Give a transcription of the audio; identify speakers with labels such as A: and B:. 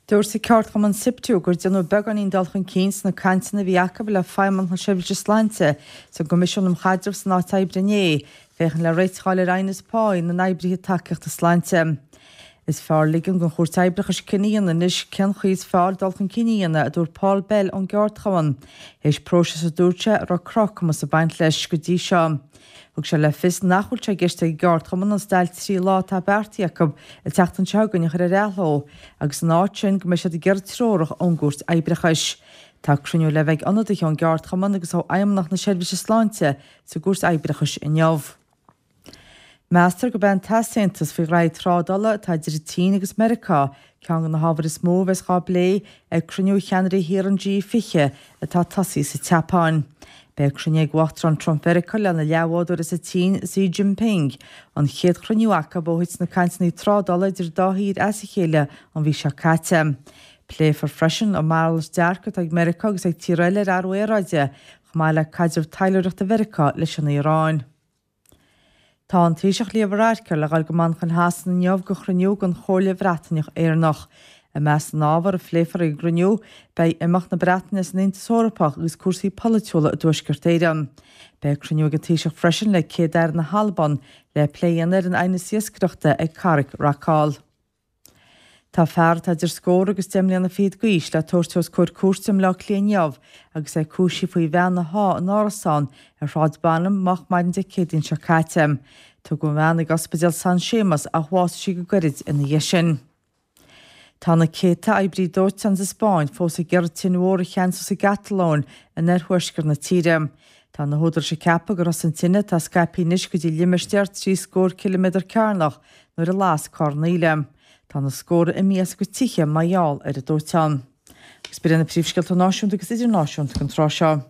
A: Dúirt an ceardchumann Siptu gur déanadh beagáinín dul chun cinn sna cainteanna a bhí acu le Feidhmeannacht na Seirbhíse Sláinte is an gCoimisiún um Chaidreamh san Áit Oibre inné, féachaint le réiteach a fháil ar aighneas páí na n-oibrithe tacaíochta sláinte. Is fearr ligean don Chúirt Oibreachais cinneadh a dhéanamh anois cén chaoi is fearr dul chun cinn a dhéanamh, a dúirt Paul Bell ón gceardchumann, théis próiseas a dúirt sé a raibh crochumas ag baint leis go dtí seo. Thug sé le fios nach bhfuil sé i gceist ag an gceardchumann an stailc 3 lá atá beartaithe acu an tseachtain seo chugainn a chur ar athló agus ina áit sin go mbeidh siad ag iarraidh treorach ón gCúirt Oibreachais. Tá cruinniú le bheith ag ionadaithe ón gceardchumann agus ó Fheidhmeannacht na Seirbhíse Sláinte sa gCúirt Oibreachais inniu. Meastar gurb é an t-easaontas faoi ghraithí trádála atá idir an tSín agus Meiriceá ceann de na hábhair is mó a bheas dhá bplé ag cruinniú cheannairí thíortha an G20 atá tosaithe sa tSeapáin. Beidh cruinniú ag Uachtarán Trump Mheiriceá lena leathbhádóir as an tSín, Xi Jinping, an chéad chruinniú acu ó thit na cainteanna trádála idir an dá thír as a chéile an mhí seo caite. Pléifear freisin an malairt dearcadh atá ag Meiriceá agus ag tíortha eile ar athrú aeráide, chomh maith le caidreamh taidhleoireachta Mheiriceá leis an Iaráin. Tá an Taoiseach Leo Varadkar le dhul go Manchain Shasana inniu go chruinniú den Chomhairle Bhreataineach Éireannach. I measc na n-ábhar a phléifear ag an gcruinniú, beidh imeacht na Breataine as an Aontas Eorpach agus cúrsaí polaitiúla i dTuaisceart Éireann. Beidh cruinniú ag an Taoiseach freisin le Céad-Aire na hAlban le plé a dhéanamh ar an aighneas iascaireachta ag Carraig Rockall. Tá fear atá idir scór agus 10 mbliana fichead d'aois le tabhairt os comhair cúirte i mBleá Cliath inniu agus é cúisithe faoi bhean a shá in árasán ar Shráid Bonham moch maidin Dé Céadaoin seo caite. Tugadh an bhean ag Ospidéal San Séamas ach bhásaigh sí go gairid ina dhiaidh sin. Tá na céadta oibrí dóiteáin sa Spáinn fós ag iarraidh tine mhór a cheansú sa gCatalóin in oirthuaisceart na tíre. Tá na húdaráis ag ceapadh gur thosaigh an tine, atá scaipthe anois go dtí limistéar 3 scór ciliméadar cearnach, nuair a las carr naíle. Tá na scórtha imithe as a gcuid tithe mar gheall ar an dóiteán. Agus b'in iad na príomhscéalta náisiúnta agus idirnáisiúnta don tráth seo.